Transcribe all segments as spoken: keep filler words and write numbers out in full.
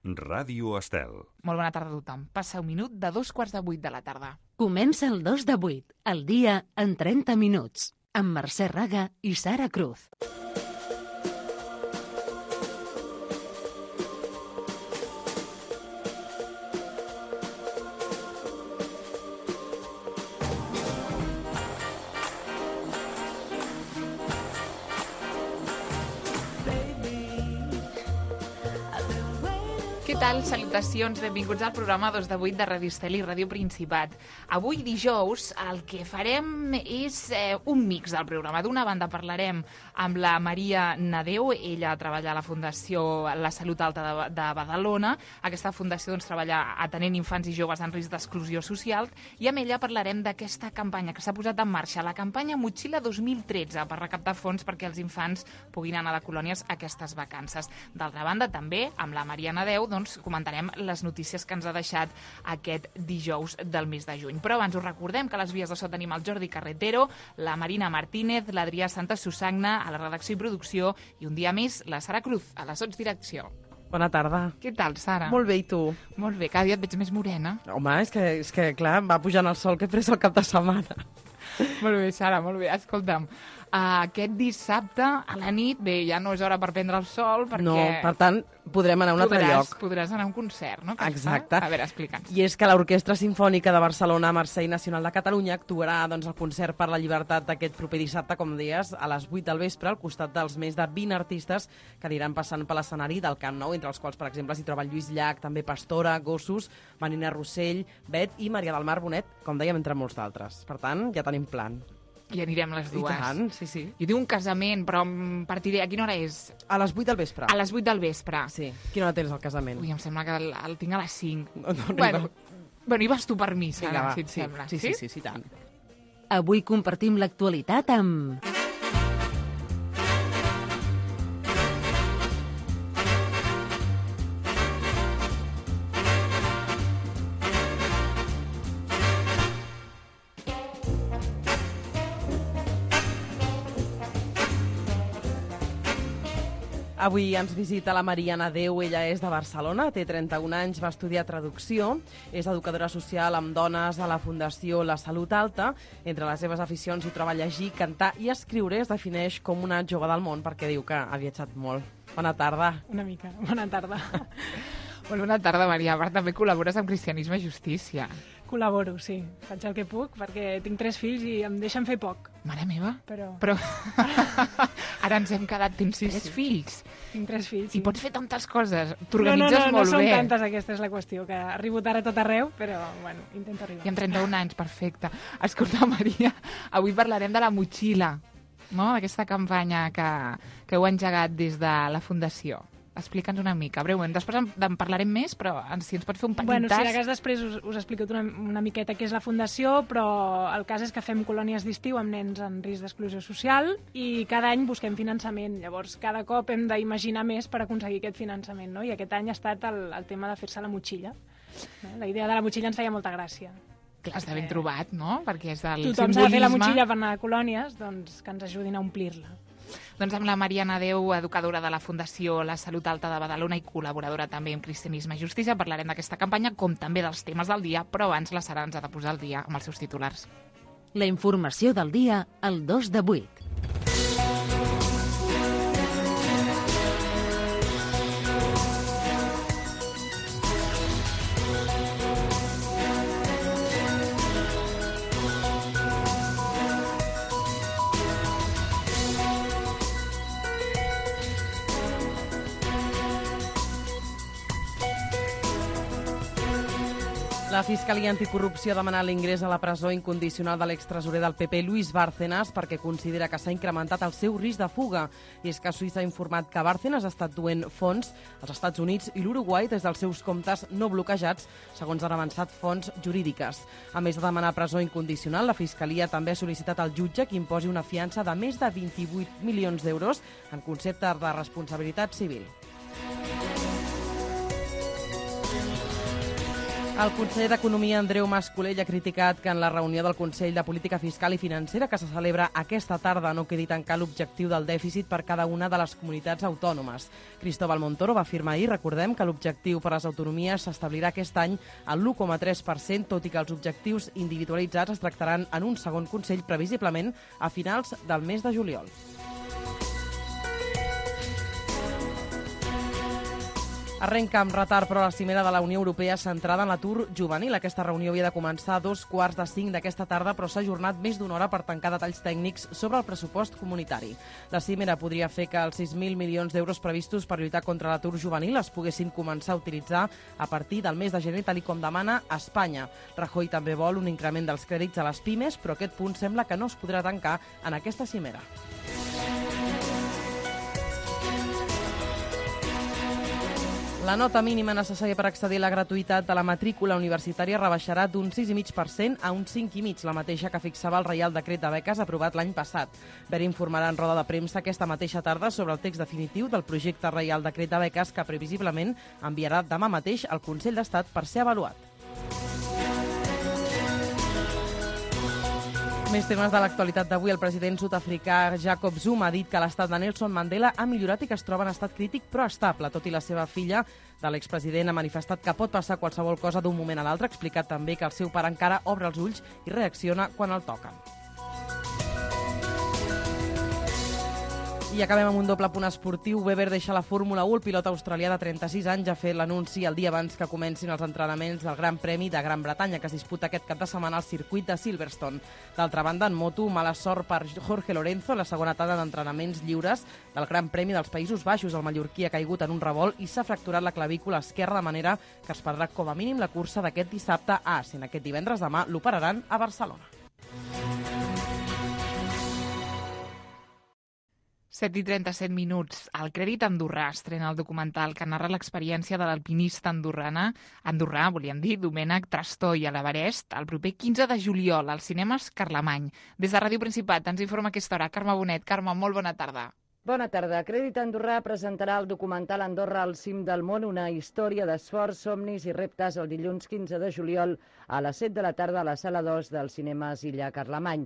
Ràdio Estel. Molt bona tarda a tothom. Passa un minut de dos quarts de vuit de la tarda. Comença el dos de vuit, el dia en trenta minuts, amb Mercè Raga i Sara Cruz. Què tal? Salutacions, benvinguts al programa dos de vuit de Ràdio Estel i Ràdio Principat. Avui, dijous, el que farem és eh, un mix del programa. D'una banda parlarem amb la Maria Nadeu, ella treballa a la Fundació La Salut Alta de, de Badalona. Aquesta fundació doncs, treballa atenent infants i joves en risc d'exclusió social, i amb ella parlarem d'aquesta campanya que s'ha posat en marxa, la campanya Motxilla dos mil tretze, per recaptar fons perquè els infants puguin anar a colònies aquestes vacances. D'altra banda, també, amb la Maria Nadeu, doncs, comentarem les notícies que ens ha deixat aquest dijous del mes de juny. Però abans us recordem que a les vies de so tenim el Jordi Carretero, la Marina Martínez, l'Adrià Santa Susagna a la redacció i producció, i un dia més la Sara Cruz a la sotsdirecció. Bona tarda. Què tal, Sara? Molt bé, i tu? Molt bé, cada dia et veig més morena. Home, és que, és que clar, va pujant el sol que he pres el cap de setmana. Molt bé, Sara, molt bé. Escolta'm, uh, aquest dissabte a la nit, bé, ja no és hora per prendre el sol, perquè... No, per tant, podrem anar a un altre podràs, lloc. Podràs anar a un concert, no? Que Exacte. A veure, explica'ns. I és que l'Orquestra Simfònica de Barcelona, Mercè i Nacional de Catalunya actuarà doncs, el concert per la llibertat d'aquest proper dissabte, com deies, a les vuit del vespre, al costat dels més de vint artistes que aniran passant per l'escenari del Camp Nou, entre els quals, per exemple, s'hi troba Lluís Llach, també Pastora, Gossos, Marina Rossell, Bet i Maria del Mar Bonet, com dèiem, entre molts d'altres. Per tant, ja tenim plan. I anirem les dues. I tant, sí, sí. Jo tinc un casament, però em partiré... A quina hora és? A les vuit del vespre. A les vuit del vespre. Sí. Quina hora tens el casament? Ui, em sembla que el, el tinc a les cinc. No, no, bueno, no. bueno, hi vas tu per mi, Sara, Vinga, va. si et Sí, sembla. sí, sí, sí, sí, sí, tant. Avui compartim l'actualitat amb... Avui ens visita la Maria Nadeu, ella és de Barcelona, té trenta-un anys, va estudiar traducció, és educadora social amb dones a la Fundació La Salut Alta. Entre les seves aficions hi troba llegir, cantar i escriure. Es defineix com una jove del món perquè diu que ha viatjat molt. Bona tarda. Una mica, bona tarda. Molt bona tarda, Maria. A part, també col·labores amb Cristianisme i Justícia. Col·laboro, sí. Faig el que puc, perquè tinc tres fills i em deixen fer poc. Mare meva. Però... Però... Ara ens hem quedat... Tens Sí, tres sí. fills. Tinc tres fills. I pots fer tantes coses. no, no, T'organitzes no, no molt són bé. tantes, aquesta és la qüestió, que arribo tard a tot arreu, però, bueno, intento arribar. I amb trenta-un anys, perfecte. Escolta, Maria, avui parlarem de la motxilla, no? D'aquesta campanya que, que heu engegat des de la Fundació. Explica'ns una mica, breument. Després en, en parlarem més, però si ens pots fer un petit Bueno, tas... si de cas després us, us explico una, una miqueta què és la Fundació, però el cas és que fem colònies d'estiu amb nens en risc d'exclusió social i cada any busquem finançament. Llavors, cada cop hem d'imaginar més per aconseguir aquest finançament, no? I aquest any ha estat el, el tema de fer-se la motxilla. No? La idea de la motxilla ens feia molta gràcia. Clar, està ben trobat, no? Perquè és del Tothom simbolisme... s'ha de fer la motxilla per anar a colònies, doncs que ens ajudin a omplir-la. Doncs amb la Maria Nadeu, educadora de la Fundació La Salut Alta de Badalona i col·laboradora també amb Cristianisme i Justícia, parlarem d'aquesta campanya, com també dels temes del dia, però abans la Sara ens ha de posar al dia amb els seus titulars. La informació del dia al dos de vuit. La Fiscalia Anticorrupció ha demanat l'ingrés a la presó incondicional de l'extresorer del P P, Luis Bárcenas, perquè considera que s'ha incrementat el seu risc de fuga. I és que Suïssa ha informat que Bárcenas ha estat duent fons als Estats Units i l'Uruguai des dels seus comptes no bloquejats, segons han avançat fonts jurídiques. A més de demanar presó incondicional, la Fiscalia també ha sol·licitat al jutge que imposi una fiança de més de vint-i-vuit milions d'euros en concepte de responsabilitat civil. El conseller d'Economia, Andreu Mas-Colell, ha criticat que en la reunió del Consell de Política Fiscal i Financera que se celebra aquesta tarda no quedi tancar l'objectiu del dèficit per cada una de les comunitats autònomes. Cristóbal Montoro va afirmar ahir, recordem, que l'objectiu per a les autonomies s'establirà aquest any al l'u coma tres per cent, tot i que els objectius individualitzats es tractaran en un segon Consell, previsiblement a finals del mes de juliol. Arrenca amb retard, però, la cimera de la Unió Europea centrada en l'atur juvenil. Aquesta reunió havia de començar a dos quarts de cinc d'aquesta tarda, però s'ha ajornat més d'una hora per tancar detalls tècnics sobre el pressupost comunitari. La cimera podria fer que els sis mil milions d'euros previstos per lluitar contra l'atur juvenil es poguessin començar a utilitzar a partir del mes de gener, tal com demana Espanya. Rajoy també vol un increment dels crèdits a les pimes, però aquest punt sembla que no es podrà tancar en aquesta cimera. La nota mínima necessària per accedir a la gratuïtat de la matrícula universitària rebaixarà d'un sis coma cinc per cent a un cinc coma cinc per cent, la mateixa que fixava el Reial Decret de Beques aprovat l'any passat. Ver informarà en roda de premsa aquesta mateixa tarda sobre el text definitiu del projecte Reial Decret de Beques que previsiblement enviarà demà mateix al Consell d'Estat per ser avaluat. Més temes de l'actualitat d'avui. El president sud-africà Jacob Zuma ha dit que l'estat de Nelson Mandela ha millorat i que es troba en estat crític però estable. Tot i la seva filla de l'expresident ha manifestat que pot passar qualsevol cosa d'un moment a l'altre. Ha explicat també que el seu pare encara obre els ulls i reacciona quan el toquen. I acabem amb un doble punt esportiu. Webber deixa la Fórmula u. El pilot australià de trenta-sis anys ha fet l'anunci el dia abans que comencin els entrenaments del Gran Premi de Gran Bretanya, que es disputa aquest cap de setmana al circuit de Silverstone. D'altra banda, en moto, mala sort per Jorge Lorenzo, la segona etapa d'entrenaments lliures del Gran Premi dels Països Baixos. El mallorquí ha caigut en un revolt i s'ha fracturat la clavícula esquerra, de manera que es perdrà com a mínim la cursa d'aquest dissabte a Assen. Aquest divendres demà l'operaran a Barcelona. set i trenta-set minuts. El Crèdit Andorrà estrena el documental que narra l'experiència de l'alpinista andorrana, andorrà, volíem dir, Domènec Trastoi a l'Everest, el proper quinze de juliol als cinemes Carlemany. Des de Ràdio Principat ens informa a aquesta hora Carme Bonet. Carme, molt bona tarda. Bona tarda. Crèdit Andorrà presentarà el documental Andorra al cim del món, una història d'esforç, somnis i reptes el dilluns quinze de juliol a les set de la tarda a la sala dos dels cinemes Illa Carlemany.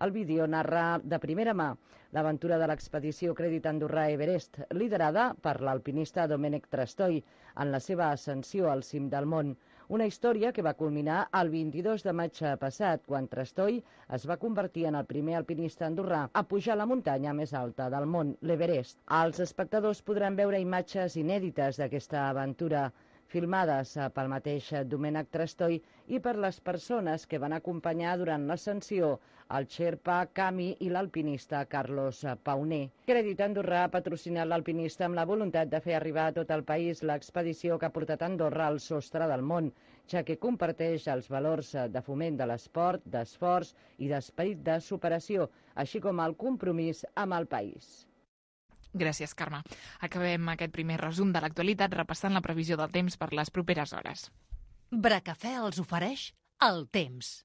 El vídeo narra de primera mà l'aventura de l'expedició Crèdit Andorrà Everest, liderada per l'alpinista Domènec Trastoi en la seva ascensió al cim del món. Una història que va culminar el vint-i-dos de maig passat, quan Trastoi es va convertir en el primer alpinista andorrà a pujar la muntanya més alta del món, l'Everest. Els espectadors podran veure imatges inèdites d'aquesta aventura, filmades pel mateix Domènec Trastoi i per les persones que van acompanyar durant l'ascensió, el xerpa Cami i l'alpinista Carlos Pauner. Crèdit Andorrà ha patrocinat l'alpinista amb la voluntat de fer arribar a tot el país l'expedició que ha portat Andorra al sostre del món, ja que comparteix els valors de foment de l'esport, d'esforç i d'esperit de superació, així com el compromís amb el país. Gràcies, Carme. Acabem aquest primer resum de l'actualitat repassant la previsió del temps per les properes hores. Bracafè els ofereix el temps.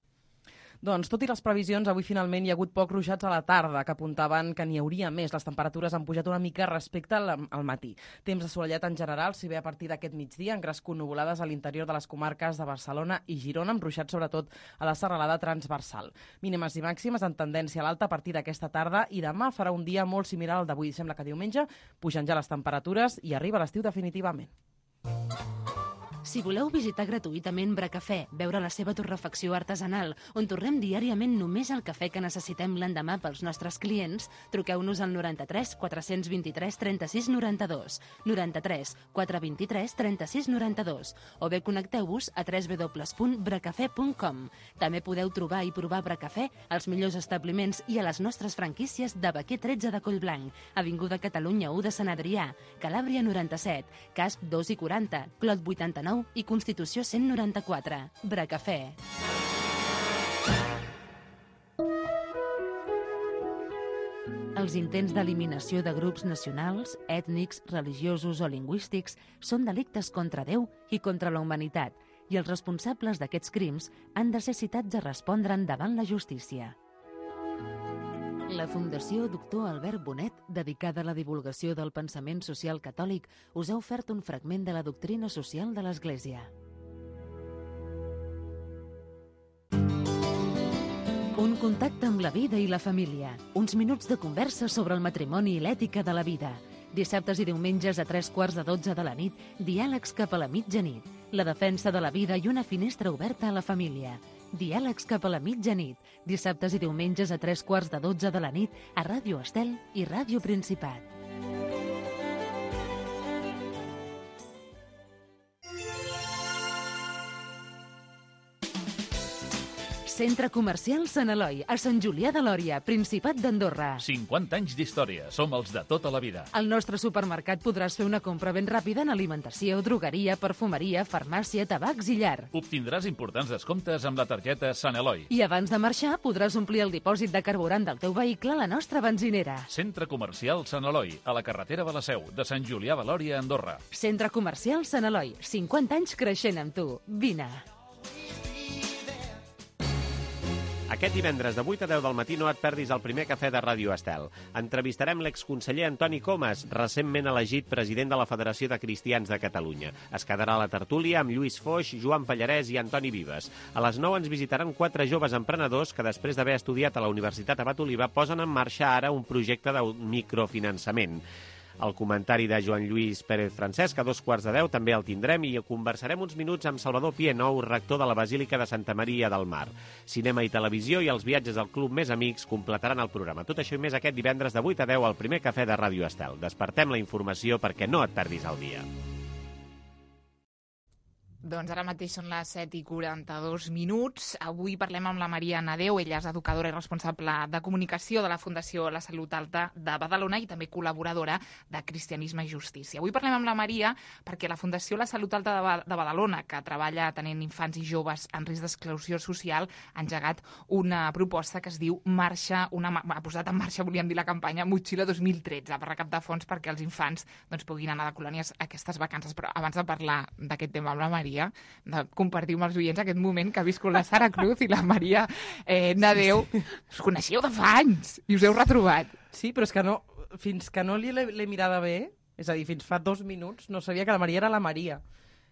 Doncs, tot i les previsions, avui finalment hi ha hagut pocs ruixats a la tarda, que apuntaven que n'hi hauria més. Les temperatures han pujat una mica respecte al, al matí. Temps assolellat en general, si bé a partir d'aquest migdia han crescut nuvolades a l'interior de les comarques de Barcelona i Girona, amb ruixats sobretot a la serralada transversal. Mínimes i màximes en tendència a l'alta a partir d'aquesta tarda i demà farà un dia molt similar al d'avui. Sembla que diumenge pugen ja les temperatures i arriba l'estiu definitivament. Si voleu visitar gratuïtament Bracafè, veure la seva torrefacció artesanal, on torrem diàriament només el cafè que necessitem l'endemà pels nostres clients, truqueu-nos al noranta-tres quatre-cents vint-i-tres trenta-sis noranta-dos, noranta-tres quatre vint-i-tres trenta-sis noranta-dos, o bé connecteu-vos a w w w punt bracafè punt com. També podeu trobar i provar Bracafè als millors establiments i a les nostres franquícies de Baquer tretze de Collblanc, Avinguda Catalunya u de Sant Adrià, Calàbria noranta-set, Casp dos i quaranta, Clot vuitanta-nou i Constitució cent noranta-quatre. Bracafè. Els intents d'eliminació de grups nacionals, ètnics, religiosos o lingüístics són delictes contra Déu i contra la humanitat, i els responsables d'aquests crims han de ser citats a respondre'n davant la justícia. La Fundació Doctor Albert Bonet, dedicada a la divulgació del pensament social catòlic, us ha ofert un fragment de la doctrina social de l'Església. Un contacte amb la vida i la família. Uns minuts de conversa sobre el matrimoni i l'ètica de la vida. Dissabtes i diumenges a tres quarts de dotze de la nit, diàlegs cap a la mitjanit. La defensa de la vida i una finestra oberta a la família. Diàlegs cap a la mitjanit. Dissabtes i diumenges a tres quarts de dotze de la nit a Ràdio Estel i Ràdio Principat. Centre Comercial Sant Eloi, a Sant Julià de Lòria, Principat d'Andorra. cinquanta anys d'història. Som els de tota la vida. Al nostre supermercat podràs fer una compra ben ràpida en alimentació, drogueria, perfumeria, farmàcia, tabacs i llar. Obtindràs importants descomptes amb la targeta Sant Eloi. I abans de marxar podràs omplir el dipòsit de carburant del teu vehicle a la nostra benzinera. Centre Comercial Sant Eloi, a la carretera de la Seu, de Sant Julià de Lòria, Andorra. Centre Comercial Sant Eloi, cinquanta anys creixent amb tu. Vine. Aquest divendres de vuit a deu del matí no et perdis el primer cafè de Ràdio Estel. Entrevistarem l'exconseller Antoni Comas, recentment elegit president de la Federació de Cristians de Catalunya. Es quedarà a la tertúlia amb Lluís Foix, Joan Pallarès i Antoni Vives. A les nou ens visitaran quatre joves emprenedors que, després d'haver estudiat a la Universitat Abat Oliva, posen en marxa ara un projecte de microfinançament. El comentari de Joan Lluís Pérez Francesc a dos quarts de deu també el tindrem i conversarem uns minuts amb Salvador Pienou, rector de la Basílica de Santa Maria del Mar. Cinema i televisió i els viatges al Club Més Amics completaran el programa. Tot això i més aquest divendres de vuit a deu al primer cafè de Ràdio Estel. Despertem la informació perquè no et perdis el dia. Doncs ara mateix són les set i quaranta-dos minuts. Avui parlem amb la Maria Nadeu. Ella és educadora i responsable de comunicació de la Fundació La Salut Alta de Badalona i també col·laboradora de Cristianisme i Justícia. Avui parlem amb la Maria perquè la Fundació La Salut Alta de Badalona, que treballa atenent infants i joves en risc d'exclusió social, ha engegat una proposta que es diu Marxa, una, ha posat en marxa, volíem dir, la campanya Motxilla dos mil tretze per recaptar fons perquè els infants doncs, puguin anar de colònies a aquestes vacances. Però abans de parlar d'aquest tema amb la Maria, de compartir amb els oients aquest moment que ha viscut la Sara Cruz i la Maria eh, Nadeu. Sí, sí. Us coneixeu de fa anys i us heu retrobat. Sí, però és que no, fins que no l'he mirada bé, és a dir, fins fa dos minuts, no sabia que la Maria era la Maria.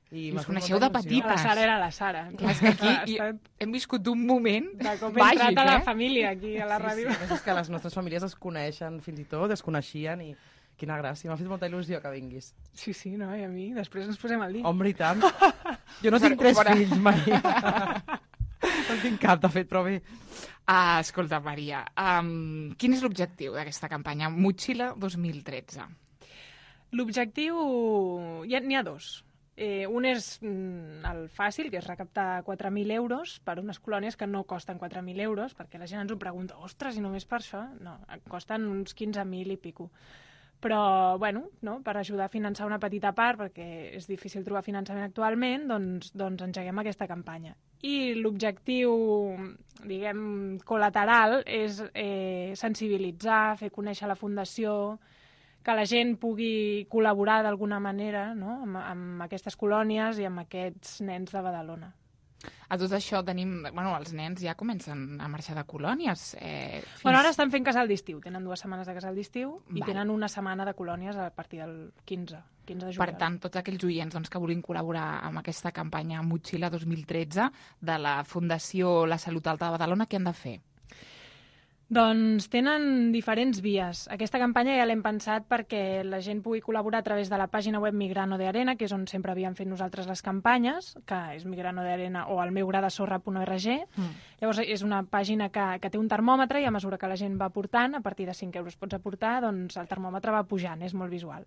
I, I us coneixeu de petites. La Sara era la Sara. Clar, és que aquí i, hem viscut un moment de com he entrat a la eh? família aquí a la sí, ràdio. Sí, és que les nostres famílies es coneixen fins i tot, es coneixien i quina gràcia, m'ha fet molta il·lusió que vinguis. Sí, sí, no, i a mi, després ens posem al dia. Home, i tant. Jo no tinc tres Fora. fills, Maria. No tinc cap, de fet, però bé. Ah, escolta, Maria, um, quin és l'objectiu d'aquesta campanya Motxilla dos mil tretze? L'objectiu... N'hi ha dos. Eh, un és mm, el fàcil, que és recaptar quatre mil euros per unes colònies que no costen quatre mil euros, perquè la gent ens ho pregunta, ostres, i només per això? No, costen uns quinze mil i pico. Però, bueno, no, per ajudar a finançar una petita part, perquè és difícil trobar finançament actualment, doncs, doncs engeguem aquesta campanya. I l'objectiu, diguem, col·lateral és eh, sensibilitzar, fer conèixer la Fundació, que la gent pugui col·laborar d'alguna manera, no?, amb, amb aquestes colònies i amb aquests nens de Badalona. A tot això tenim... Bueno, els nens ja comencen a marxar de colònies. Eh, fins... Bueno, ara estan fent casal d'estiu. Tenen dues setmanes de casal d'estiu i Val. tenen una setmana de colònies a partir del quinze, quinze de juliol. Per tant, tots aquells oients doncs, que vulguin col·laborar amb aquesta campanya Motxilla dos mil tretze de la Fundació La Salut Alta de Badalona, què han de fer? Doncs tenen diferents vies. Aquesta campanya ja l'hem pensat perquè la gent pugui col·laborar a través de la pàgina web Migrano de Arena, que és on sempre havíem fet nosaltres les campanyes, que és Migrano de Arena o el meu gra de sorra punt org. Mm. Llavors és una pàgina que, que té un termòmetre i a mesura que la gent va aportant, a partir de cinc euros pots aportar, doncs el termòmetre va pujant, és molt visual.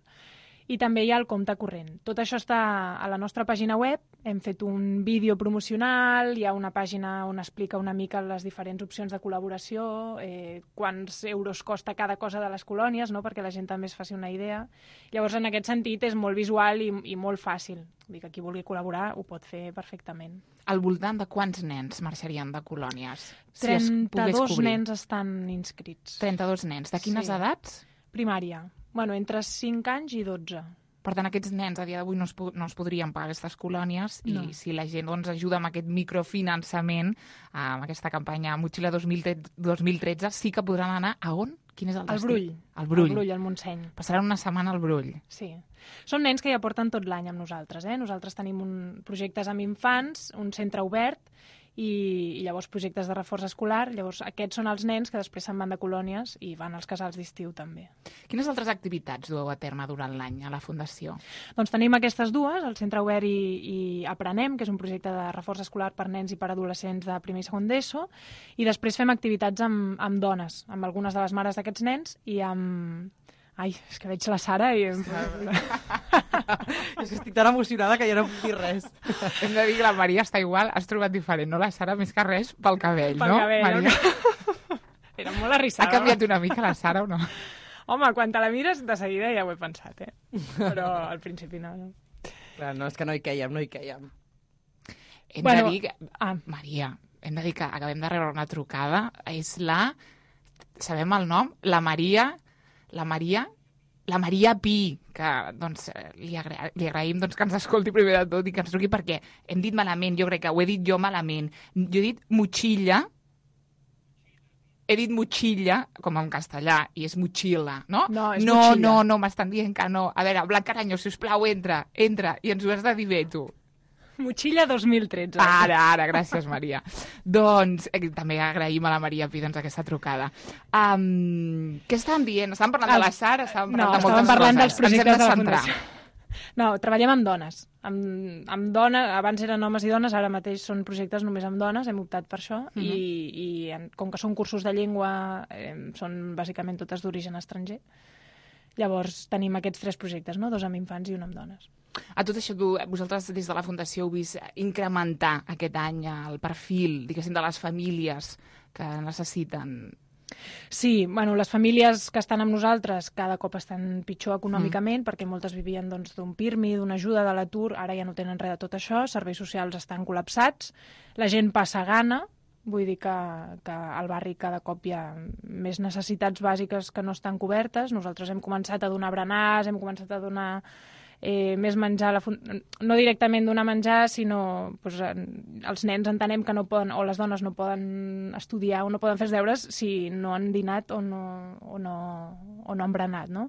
I també hi ha el compte corrent. Tot això està a la nostra pàgina web, hem fet un vídeo promocional, hi ha una pàgina on explica una mica les diferents opcions de col·laboració, eh, quants euros costa cada cosa de les colònies, no?, perquè la gent també es faci una idea. Llavors, en aquest sentit, és molt visual i, i molt fàcil. Vull dir que qui vulgui col·laborar ho pot fer perfectament. Al voltant de quants nens marxarien de colònies? trenta-dos si nens estan inscrits. trenta-dos nens. De quines sí. edats? Primària. Bueno, entre cinc anys i dotze. Per tant, aquests nens a dia d'avui no, es no es podrien pagar aquestes colònies no. I si la gent doncs, ajuda amb aquest microfinançament, amb aquesta campanya Motxilla dos mil tretze, sí que podran anar a on? Quin és el destí? Al Brull. Al Brull. Al Brull, al Montseny. Passaran una setmana al Brull. Sí. Són nens que ja porten tot l'any amb nosaltres. Eh? Nosaltres tenim un, projectes amb infants, un centre obert, i, i llavors projectes de reforç escolar. Llavors aquests són els nens que després se'n van de colònies i van als casals d'estiu també. Quines altres activitats dueu a terme durant l'any a la Fundació? Doncs tenim aquestes dues, el Centre Obert i, i Aprenem, que és un projecte de reforç escolar per nens i per adolescents de primer i segon d'ESO, i després fem activitats amb, amb dones, amb algunes de les mares d'aquests nens i amb... Ai, és que veig la Sara i... és que estic tan emocionada que ja no puc dir res. Hem de dir que la Maria està igual, has trobat diferent, no la Sara, més que res pel cabell, pel no? Cabell, Maria? No? Era molt arrissada. Ha canviat una mica la Sara o no? Home, quan te la mires, de seguida ja ho he pensat, eh? Però al principi no. no. Clar, no, és que no hi quèiem, no hi quèiem. Hem Bueno, de dir que... ah. Maria, hem de dir que acabem de rebre una trucada. És la... Sabem el nom? La Maria... La Maria... La Maria Pi, que doncs, li, agra li agraïm doncs, que ens escolti primer de tot i que ens truqui perquè hem dit malament, jo crec que ho he dit jo malament. Jo he dit motxilla, he dit motxilla, com en castellà, i és motxilla, no? No, és no, motxilla. no, no, m'estan dient que no. A veure, Blanc Caranyo, sisplau, entra, entra, i ens ho has de dir bé, tu. Motxilla dos mil tretze. Ara, ara, gràcies, Maria. Doncs eh, també agraïm a la Maria Pi doncs, aquesta trucada. Um, què estàvem dient? Estàvem parlant de la Sara? Estàvem parlant no, de moltes estàvem parlant coses. dels projectes de, Ens hem la de centrar. Fundació. No, treballem amb dones. Amb, amb dones, abans eren homes i dones, ara mateix són projectes només amb dones, hem optat per això, uh -huh. i, i en, com que són cursos de llengua, eh, són bàsicament totes d'origen estranger. Llavors tenim aquests tres projectes, no? Dos amb infants i un amb dones. A tot això, tu, vosaltres des de la Fundació heu vist incrementar aquest any el perfil, diguéssim, de les famílies que necessiten... Sí, bueno, les famílies que estan amb nosaltres cada cop estan pitjor econòmicament, mm. perquè moltes vivien doncs, d'un PIRMI, d'una ajuda de l'atur, ara ja no tenen res de tot això, serveis socials estan col·lapsats, la gent passa gana, vull dir que, que al barri cada cop hi ha més necessitats bàsiques que no estan cobertes. Nosaltres hem començat a donar berenars, hem començat a donar eh, més menjar, a la fun... no directament donar menjar, sinó doncs, els nens entenem que no poden, o les dones no poden estudiar o no poden fer els deures si no han dinat o no, o no, o no han berenat, no?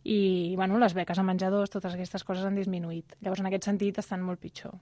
I bueno, les beques a menjadors, totes aquestes coses han disminuït. Llavors, en aquest sentit, estan molt pitjor.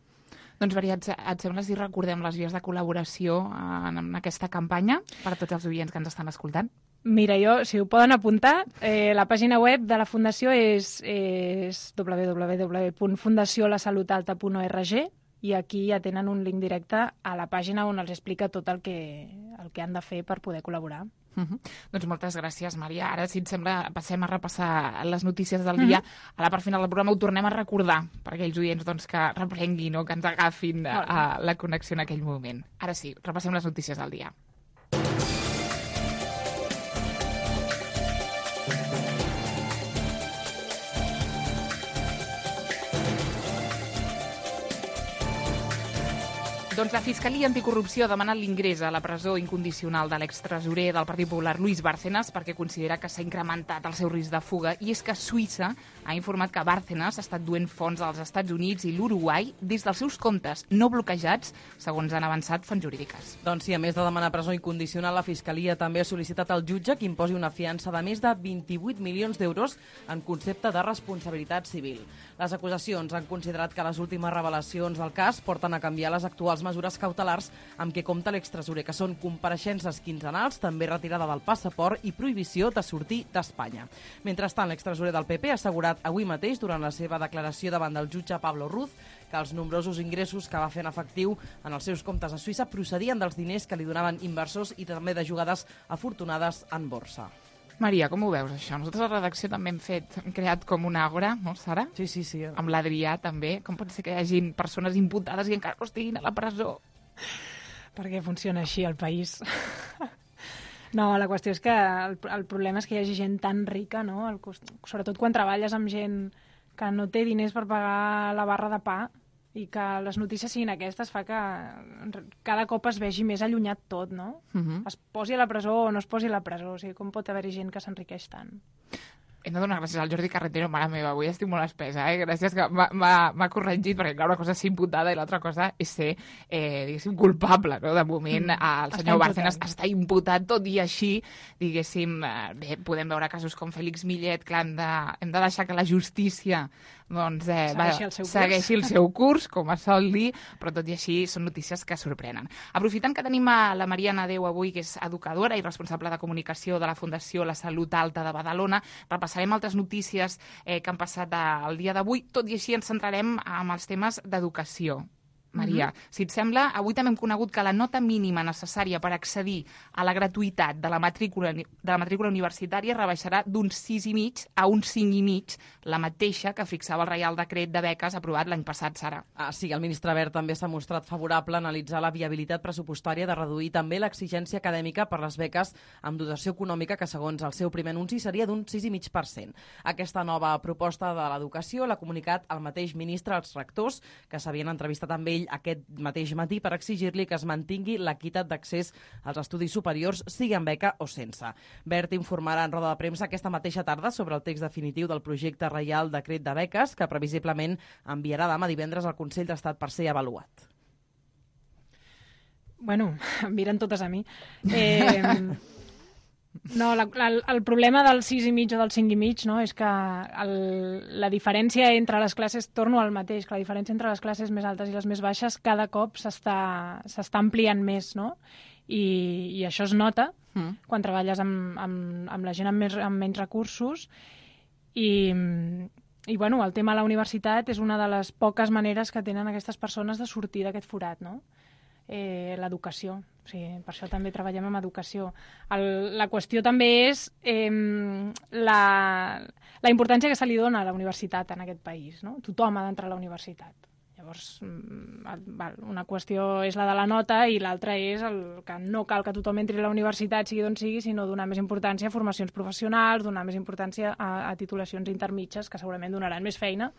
Doncs, Maria, et, et sembla si recordem les vies de col·laboració en, en aquesta campanya per a tots els oients que ens estan escoltant? Mira, jo, si ho poden apuntar, eh, la pàgina web de la Fundació és, és w w w punt fundació la salut alta punt org i aquí ja tenen un link directe a la pàgina on els explica tot el que, el que han de fer per poder col·laborar. Uh -huh. Doncs moltes gràcies, Maria. Ara, si et sembla, passem a repassar les notícies del dia. Uh -huh. A la part final del programa ho tornem a recordar per aquells oients doncs, que reprenguin o que ens agafin a, a la connexió en aquell moment. Ara sí, repassem les notícies del dia. Doncs la Fiscalia Anticorrupció ha demanat l'ingrés a la presó incondicional de l'extresorer del Partit Popular, Luis Bárcenas, perquè considera que s'ha incrementat el seu risc de fuga. I és que Suïssa ha informat que Bárcenas ha estat duent fons als Estats Units i l'Uruguai des dels seus comptes no bloquejats, segons han avançat fonts jurídiques. Doncs sí, a més de demanar presó incondicional, la Fiscalia també ha sol·licitat al jutge que imposi una fiança de més de vint-i-vuit milions d'euros en concepte de responsabilitat civil. Les acusacions han considerat que les últimes revelacions del cas porten a canviar les actuals mesures cautelars amb què compta l'extresorer, que són compareixences quinzenals, també retirada del passaport i prohibició de sortir d'Espanya. Mentrestant, l'extresorer del P P ha assegurat avui mateix, durant la seva declaració davant del jutge Pablo Ruz, que els nombrosos ingressos que va fer en efectiu en els seus comptes a Suïssa procedien dels diners que li donaven inversors i també de jugades afortunades en borsa. Maria, com ho veus, això? Nosaltres a la redacció també hem fet, hem creat com una àgora, no, Sara? Sí, sí, sí. Amb l'Adrià, també. Com pot ser que hi hagi persones imputades i encara no estiguin a la presó? Perquè funciona així el país. No, la qüestió és que el, el problema és que hi hagi gent tan rica, no? El, sobretot quan treballes amb gent que no té diners per pagar la barra de pa i que les notícies siguin aquestes fa que cada cop es vegi més allunyat tot, no? Uh-huh. Es posi a la presó o no es posi a la presó. O sigui, com pot haver-hi gent que s'enriqueix tant? Hem de donar gràcies al Jordi Carretero, mare meva, avui estic molt espesa, eh? Gràcies que m'ha corregit, perquè clar, una cosa és ser imputada i l'altra cosa és ser, eh, diguéssim, culpable, no? De moment, mm. el senyor Bárcenas està imputat, tot i així, diguéssim, eh, bé, podem veure casos com Félix Millet, clar, hem de, hem de deixar que la justícia doncs, eh, segueixi, va, el seu segueixi el seu curs, com es sol dir, però tot i així són notícies que sorprenen. Aprofitant que tenim a la Mariana Déu avui, que és educadora i responsable de comunicació de la Fundació La Salut Alta de Badalona, repassarem altres notícies eh, que han passat el dia d'avui, tot i així ens centrarem en els temes d'educació. Maria, mm-hmm. si et sembla, avui també hem conegut que la nota mínima necessària per accedir a la gratuïtat de la matrícula, de la matrícula universitària rebaixarà d'un sis i mig a un cinc i mig, la mateixa que fixava el Reial Decret de beques aprovat l'any passat, Sara. Ah, sí, el ministre Wert també s'ha mostrat favorable a analitzar la viabilitat pressupostària de reduir també l'exigència acadèmica per les beques amb dotació econòmica, que segons el seu primer anunci seria d'un sis i mig per cent. Aquesta nova proposta de l'educació l'ha comunicat el mateix ministre als rectors, que s'havien entrevistat amb ell aquest mateix matí per exigir-li que es mantingui l'equitat d'accés als estudis superiors, sigui amb beca o sense. Wert informarà en roda de premsa aquesta mateixa tarda sobre el text definitiu del projecte Reial Decret de beques, que previsiblement enviarà demà divendres al Consell d'Estat per ser avaluat. Bueno, em miren totes a mi. Eh... No, la, la, el problema del sis i mig o del cinc i mig, no, és que el, la diferència entre les classes, torno al mateix, que la diferència entre les classes més altes i les més baixes cada cop s'està ampliant més, no? I, i això es nota mm. quan treballes amb, amb, amb la gent amb, més, amb menys recursos i, i bueno, el tema de la universitat és una de les poques maneres que tenen aquestes persones de sortir d'aquest forat, no? Eh, l'educació. O sigui, per això també treballem amb educació. El, la qüestió també és eh, la, la importància que se li dona a la universitat en aquest país, no? Tothom ha d'entrar a la universitat. Llavors, una qüestió és la de la nota i l'altra és el que no cal que tothom entri a la universitat, sigui d'on sigui, sinó donar més importància a formacions professionals, donar més importància a, a titulacions intermitges, que segurament donaran més feina.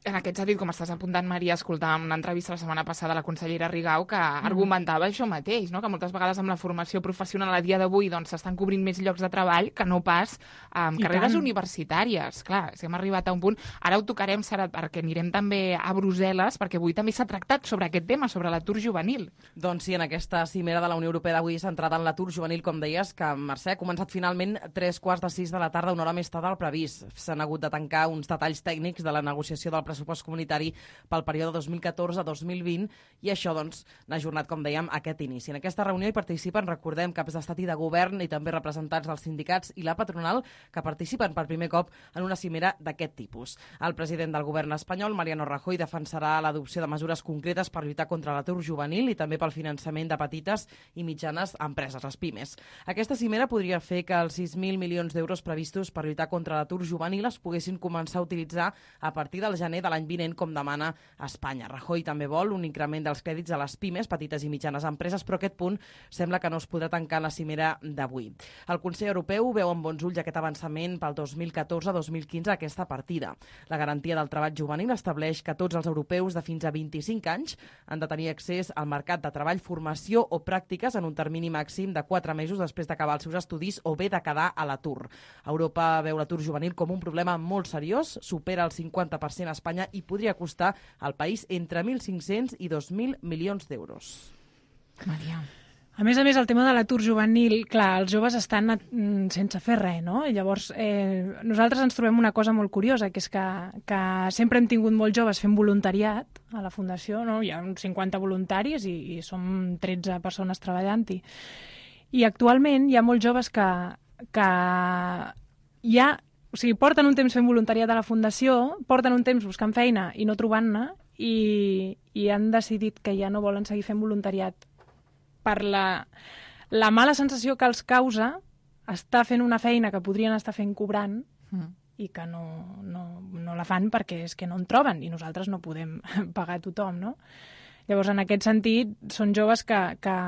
En aquest sentit, com estàs apuntant, Maria, escoltàvem una entrevista la setmana passada a la consellera Rigau que mm. argumentava això mateix, no? Que moltes vegades amb la formació professional a dia d'avui doncs, s'estan cobrint més llocs de treball que no pas amb I carreres tant. universitàries. Clar, si hem arribat a un punt... Ara ho tocarem, Sara, perquè anirem també a Brussel·les, perquè avui també s'ha tractat sobre aquest tema, sobre l'atur juvenil. Doncs sí, en aquesta cimera de la Unió Europea d'avui centrada en l'atur juvenil, com deies, que Mercè ha començat finalment tres quarts de sis de la tarda, una hora més tard del previst. S'han hagut de tancar uns detalls tècnics de la negociació del pressupost comunitari pel període dos mil catorze a dos mil vint i això doncs n'ha ajornat, com dèiem, aquest inici. En aquesta reunió hi participen, recordem, caps d'estat i de govern i també representants dels sindicats i la patronal que participen per primer cop en una cimera d'aquest tipus. El president del govern espanyol, Mariano Rajoy, defensarà l'adopció de mesures concretes per lluitar contra l'atur juvenil i també pel finançament de petites i mitjanes empreses, les pimes. Aquesta cimera podria fer que els sis mil milions d'euros previstos per lluitar contra l'atur juvenil es poguessin començar a utilitzar a partir del gener de l'any vinent, com demana Espanya. Rajoy també vol un increment dels crèdits a les pimes, petites i mitjanes empreses, però aquest punt sembla que no es podrà tancar en la cimera d'avui. El Consell Europeu veu amb bons ulls aquest avançament pel dos mil catorze a dos mil quinze aquesta partida. La garantia del treball juvenil estableix que tots els europeus de fins a vint-i-cinc anys han de tenir accés al mercat de treball, formació o pràctiques en un termini màxim de quatre mesos després d'acabar els seus estudis o bé de quedar a l'atur. Europa veu l'atur juvenil com un problema molt seriós, supera el cinquanta per cent a Espanya i podria costar al país entre mil cinc-cents i dos mil milions d'euros. Maria. A més a més, el tema de l'atur juvenil, clar, els joves estan sense fer res, no? I llavors, eh, nosaltres ens trobem una cosa molt curiosa, que és que, que sempre hem tingut molts joves fent voluntariat a la Fundació, no? Hi ha uns cinquanta voluntaris i, i som tretze persones treballant-hi. I actualment hi ha molts joves que, que ja... O sigui, porten un temps fent voluntariat a la Fundació, porten un temps buscant feina i no trobant-ne, i, i han decidit que ja no volen seguir fent voluntariat per la, la mala sensació que els causa estar fent una feina que podrien estar fent cobrant mm. i que no, no, no la fan perquè és que no en troben i nosaltres no podem pagar a tothom, no? Llavors, en aquest sentit, són joves que, que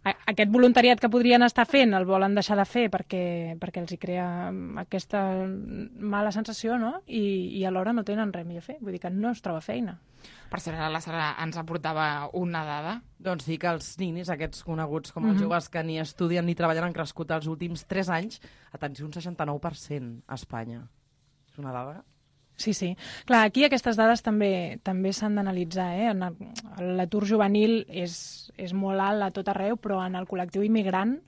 aquest voluntariat que podrien estar fent el volen deixar de fer perquè, perquè els hi crea aquesta mala sensació, no? I, i alhora no tenen res millor a fer. Vull dir que no es troba feina. Per cert, la Sara ens aportava una dada. Doncs sí que els ninis, aquests coneguts com els Mhm. joves que ni estudien ni treballen, han crescut els últims tres anys, atenció, un seixanta-nou per cent a Espanya. És una dada... Sí, sí. Clar, aquí aquestes dades també també s'han d'analitzar. Eh? L'atur juvenil és, és molt alt a tot arreu, però en el col·lectiu immigrant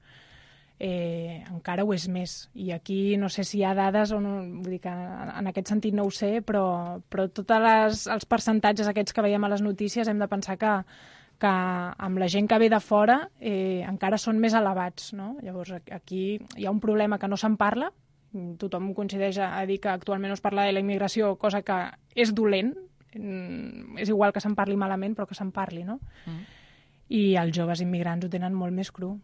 eh, encara ho és més. I aquí no sé si hi ha dades, o no, vull dir que en aquest sentit no ho sé, però, però tots els percentatges aquests que veiem a les notícies hem de pensar que, que amb la gent que ve de fora eh, encara són més elevats. No? Llavors aquí hi ha un problema que no se'n parla. Tothom coincideix a dir que actualment no es parla de la immigració, cosa que és dolent, és igual que se'n parli malament, però que se'n parli, no? Mm. I els joves immigrants ho tenen molt més cru.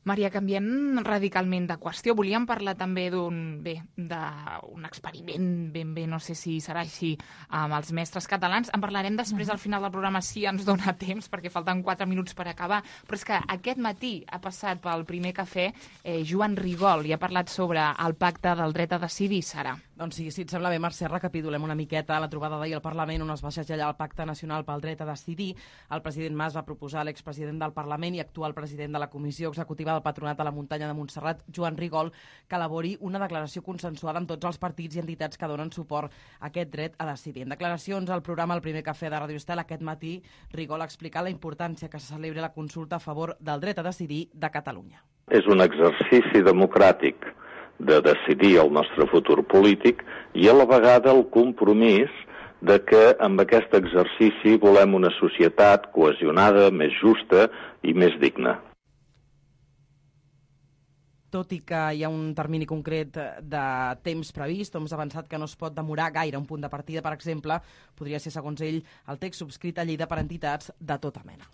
Maria, canviem radicalment de qüestió. Volíem parlar també d'un bé, d'un experiment, ben bé, no sé si serà així, amb els mestres catalans. En parlarem després al final del programa, si ens dona temps, perquè falten quatre minuts per acabar. Però és que aquest matí ha passat pel primer cafè eh, Joan Rigol i ha parlat sobre el pacte del dret a decidir, Sara. Doncs sí, si et sembla bé, Mercè, recapitulem una miqueta la trobada d'ahir al Parlament on es va segellar el Pacte Nacional pel Dret a Decidir. El president Mas va proposar a l'expresident del Parlament i actual president de la Comissió Executiva del Patronat de la Muntanya de Montserrat, Joan Rigol, que elabori una declaració consensuada amb tots els partits i entitats que donen suport a aquest dret a decidir. En declaracions al programa El primer cafè de Radio Estel aquest matí, Rigol ha explicat la importància que se celebri la consulta a favor del dret a decidir de Catalunya. És un exercici democràtic de decidir el nostre futur polític i a la vegada el compromís de que amb aquest exercici volem una societat cohesionada, més justa i més digna. Tot i que hi ha un termini concret de temps previst, hem avançat que no es pot demorar gaire. Un punt de partida, per exemple, podria ser, segons ell, el text subscrit a Lleida per entitats de tota mena.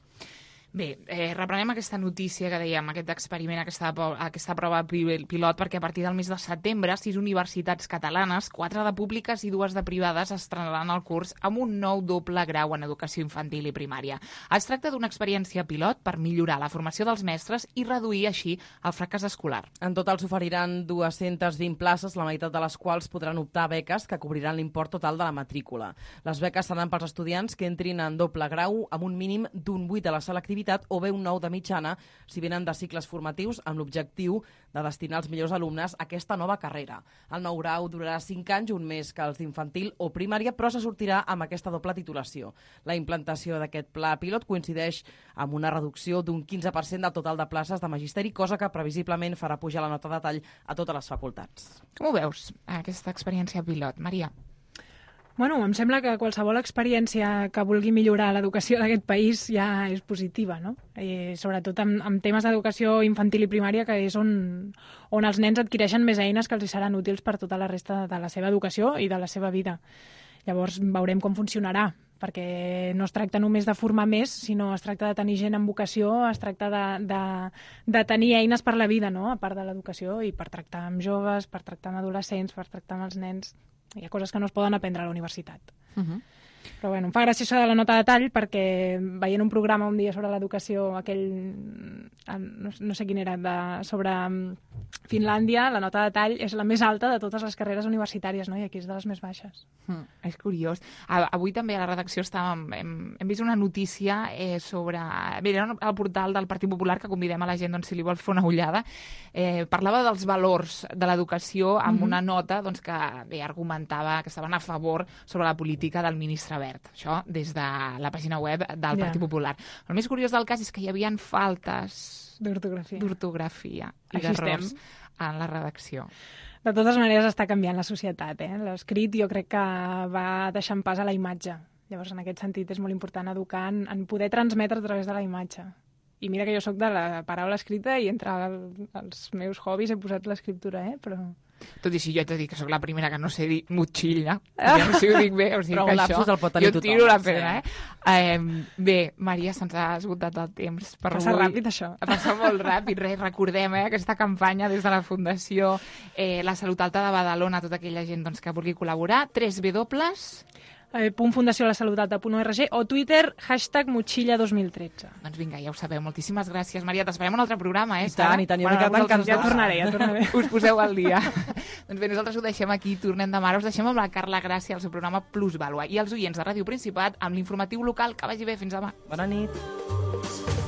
Bé, eh, reprenem aquesta notícia que dèiem, aquest experiment, aquesta, aquesta prova pilot, perquè a partir del mes de setembre, sis universitats catalanes, quatre de públiques i dues de privades, estrenaran el curs amb un nou doble grau en educació infantil i primària. Es tracta d'una experiència pilot per millorar la formació dels mestres i reduir així el fracàs escolar. En total s'oferiran dues-centes vint places, la meitat de les quals podran optar a beques que cobriran l'import total de la matrícula. Les beques seran pels estudiants que entrin en doble grau amb un mínim d'un vuit a la selectivitat o bé un nou de mitjana si venen de cicles formatius amb l'objectiu de destinar els millors alumnes a aquesta nova carrera. El nou grau durarà cinc anys, un més que els d'infantil o primària, però se sortirà amb aquesta doble titulació. La implantació d'aquest pla pilot coincideix amb una reducció d'un quinze per cent del total de places de magisteri, cosa que previsiblement farà pujar la nota de tall a totes les facultats. Com ho veus, aquesta experiència pilot, Maria? Bueno, em sembla que qualsevol experiència que vulgui millorar l'educació d'aquest país ja és positiva, no? Eh, sobretot amb, amb temes d'educació infantil i primària, que és on, on els nens adquireixen més eines que els seran útils per tota la resta de la seva educació i de la seva vida. Llavors veurem com funcionarà, perquè no es tracta només de formar més, sinó es tracta de tenir gent amb vocació, es tracta de, de, de tenir eines per la vida, no? A part de l'educació, i per tractar amb joves, per tractar amb adolescents, per tractar amb els nens. Hi ha coses que no es poden aprendre a la universitat. Uh-huh. Però bueno, em fa gràcia això de la nota de tall, perquè veient un programa un dia sobre l'educació, aquell, no, no sé quin era, de, sobre Finlàndia, la nota de tall és la més alta de totes les carreres universitàries, no? I aquí és de les més baixes. Mm, és curiós. Avui també a la redacció estàvem, hem, hem vist una notícia eh, sobre... Bé, era el portal del Partit Popular, que convidem a la gent, doncs, si li vol fer una ullada. Eh, parlava dels valors de l'educació amb mm-hmm. una nota doncs, que bé, argumentava que estaven a favor sobre la política del ministre Wert. Això des de la pàgina web del yeah. Partit Popular. El més curiós del cas és que hi havia faltes d'ortografia d'ortografia i d'errors en la redacció. De totes maneres està canviant la societat. Eh? L'escrit jo crec que va deixant pas a la imatge. Llavors, en aquest sentit, és molt important educar en, en poder transmetre a través de la imatge. I mira que jo sóc de la paraula escrita i entre el, els meus hobbies he posat l'escriptura, eh? Però... Tot i així, jo he de dir que sóc la primera que no sé dir motxilla. Ja no sé si ho dic bé, o sigui però que un això... el pot tenir jo tothom. tiro la pena, sí. eh? eh? Bé, Maria, se'ns ha esgotat el temps. Per Passa avui. ràpid, això. Passa molt ràpid. Res, recordem eh, aquesta campanya des de la Fundació eh, La Salut Alta de Badalona, tota aquella gent doncs, que vulgui col·laborar. tres W eh, punt fundació la salut alta punt org o Twitter, hashtag motxilla dos mil tretze. Doncs vinga, ja ho sabeu. Moltíssimes gràcies, Maria. T'esperem un altre programa, eh? I tant, i tant. Jo m'he quedat encantada. Ja tornaré, ja tornaré. Us poseu al dia. Doncs bé, nosaltres ho deixem aquí, tornem demà. Us deixem amb la Carla Gràcia, al seu programa Plusvàlua. I els oients de Ràdio Principat, amb l'informatiu local. Que vagi bé, fins demà. Bona nit.